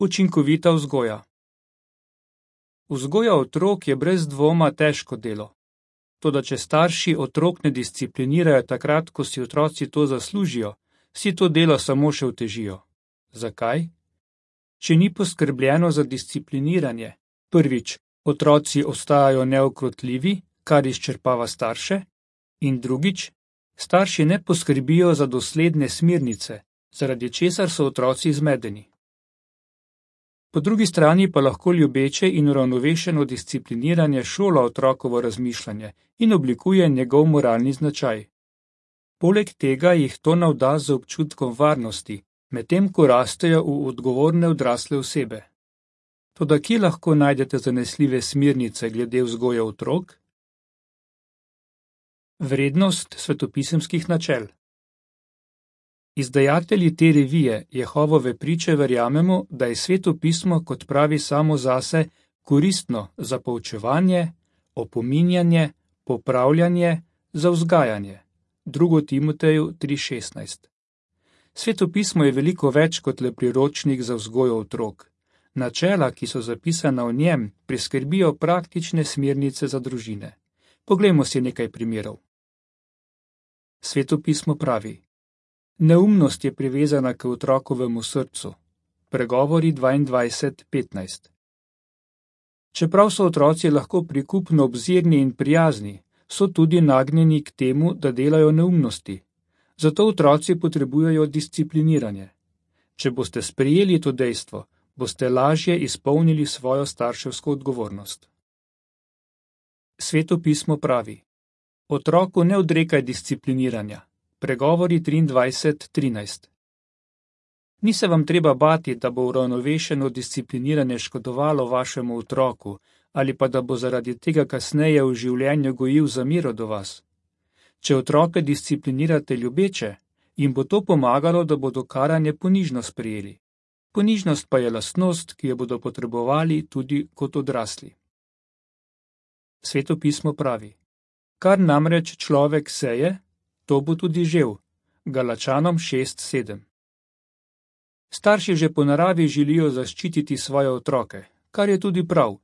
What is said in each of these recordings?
Učinkovita vzgoja. Vzgoja otrok je brez dvoma težko delo. Toda če starši otrok ne disciplinirajo takrat, ko si otroci to zaslužijo, si to delo samo še otežijo. Zakaj? Če ni poskrbljeno za discipliniranje, prvič, otroci ostajajo neukrotljivi, kar izčrpava starše, in drugič, starši ne poskrbijo za dosledne smernice, zaradi česar so otroci zmedeni. Po drugi strani pa lahko ljubeče in uravnovešeno discipliniranje šola otrokovo razmišljanje in oblikuje njegov moralni značaj. Poleg tega jih to navda z občutkom varnosti, medtem ko rastejo v odgovorne odrasle osebe. Toda kje lahko najdete zanesljive smernice glede vzgoje otrok? Vrednost svetopisemskih načel. Izdajatelji te revije Jehovove priče verjamemo, da je Sveto pismo, kot pravi samo zase, koristno za poučevanje, opominjanje, popravljanje, za vzgajanje. 2. Timoteju 3:16. Sveto pismo je veliko več kot le priročnik za vzgojo otrok. Načela, ki so zapisana v njem, priskrbijo praktične smernice za družine. Poglejmo si nekaj primerov. Sveto pismo pravi: Neumnost je privezana k otrokovemu srcu. Pregovori 22:15. Čeprav so otroci lahko prikupno obzirni in prijazni, so tudi nagnjeni k temu, da delajo neumnosti. Zato otroci potrebujejo discipliniranje. Če boste sprejeli to dejstvo, boste lažje izpolnili svojo starševsko odgovornost. Sveto pismo pravi: Otroku ne odrekaj discipliniranja. Pregovori 23:13. Ni se vam treba bati, da bo uravnovešeno discipliniranje škodovalo vašemu otroku ali pa da bo zaradi tega kasneje v življenju gojil zamero do vas. Če otroke disciplinirate ljubeče, jim bo to pomagalo, da bodo karanje ponižno sprejeli. Ponižnost pa je lastnost, ki jo bodo potrebovali tudi kot odrasli. Sveto pismo pravi: Kar namreč človek seje, to bo tudi žel. Galačanom 6:7. Starši že po naravi želijo zaščititi svoje otroke, kar je tudi prav.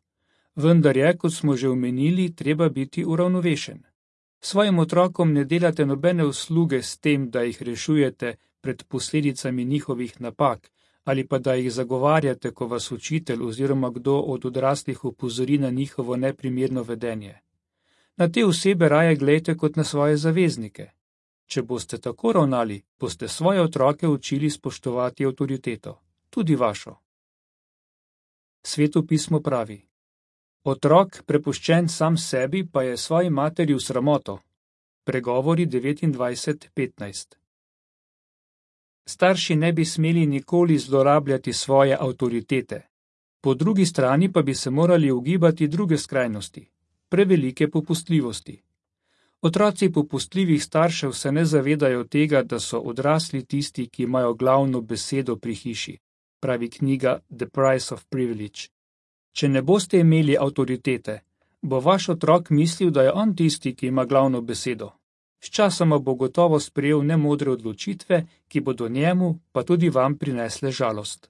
Vendar je, kot smo že omenili, treba biti uravnovešen. Svojim otrokom ne delate nobene usluge s tem, da jih rešujete pred posledicami njihovih napak, ali pa da jih zagovarjate, ko vas učitelj oziroma kdo od odraslih opozori na njihovo neprimerno vedenje. Na te osebe raje glejte kot na svoje zaveznike. Če boste tako ravnali, boste svoje otroke učili spoštovati avtoriteto, tudi vašo. Sveto pismo pravi: Otrok, prepuščen sam sebi, pa je svoji materi v sramoto. Pregovori 29:15. Starši ne bi smeli nikoli zlorabljati svoje avtoritete. Po drugi strani pa bi se morali ugibati druge skrajnosti, prevelike popustljivosti. Otroci popustljivih staršev se ne zavedajo tega, da so odrasli tisti, ki imajo glavno besedo pri hiši, pravi knjiga The Price of Privilege. Če ne boste imeli avtoritete, bo vaš otrok mislil, da je on tisti, ki ima glavno besedo. Sčasoma bo gotovo sprejel nemodre odločitve, ki bodo njemu, pa tudi vam prinesle žalost.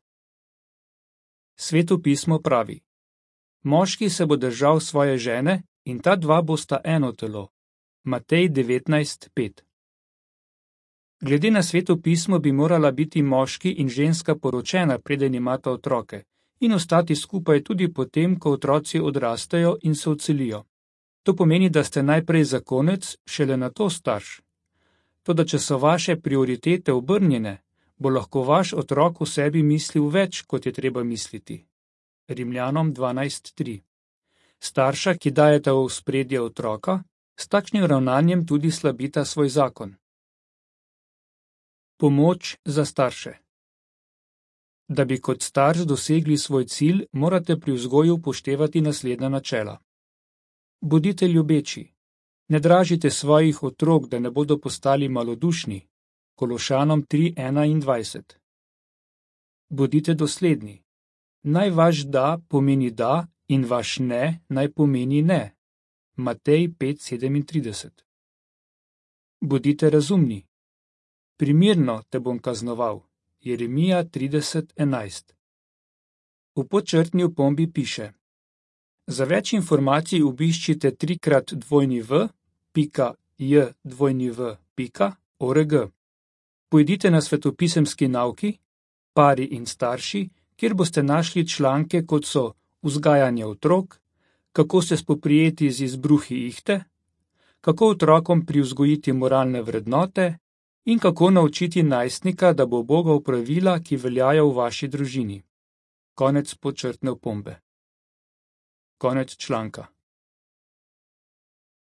Sveto pismo pravi: Moški se bo držal svoje žene in ta dva bosta eno telo. Matej 19:5. Glede na Sveto pismo bi morala biti moški in ženska poročena, preden imata otroke, in ostati skupaj tudi potem, ko otroci odrastejo in se odselijo. To pomeni, da ste najprej zakonec, šele nato starš. Toda če so vaše prioritete obrnjene, bo lahko vaš otrok v sebi mislil več, kot je treba misliti. Rimljanom 12:3. Starša, ki dajeta v ospredje otroka, s takšnim ravnanjem tudi slabita svoj zakon. Pomoč za starše. Da bi kot starš dosegli svoj cilj, morate pri vzgoju upoštevati naslednja načela. Bodite ljubeči. Ne dražite svojih otrok, da ne bodo postali malodušni. Kološanom 3:21. Bodite dosledni. Naj vaš da pomeni da in vaš ne naj pomeni ne. Matej 5:37. Bodite razumni. Primirno te bom kaznoval. Jeremija 30:11. V podčrtni opombi piše: Za več informacij obiščite 3x2v.jw.org. Pojdite na svetopisemski nauki, pari in starši, kjer boste našli članke, kot so vzgajanje otrok, kako se spoprijeti z izbruhi ihte, kako otrokom privzgojiti moralne vrednote in kako naučiti najstnika, da bo ubogal pravila, ki veljajo v vaši družini. Konec podčrtne opombe. Konec članka.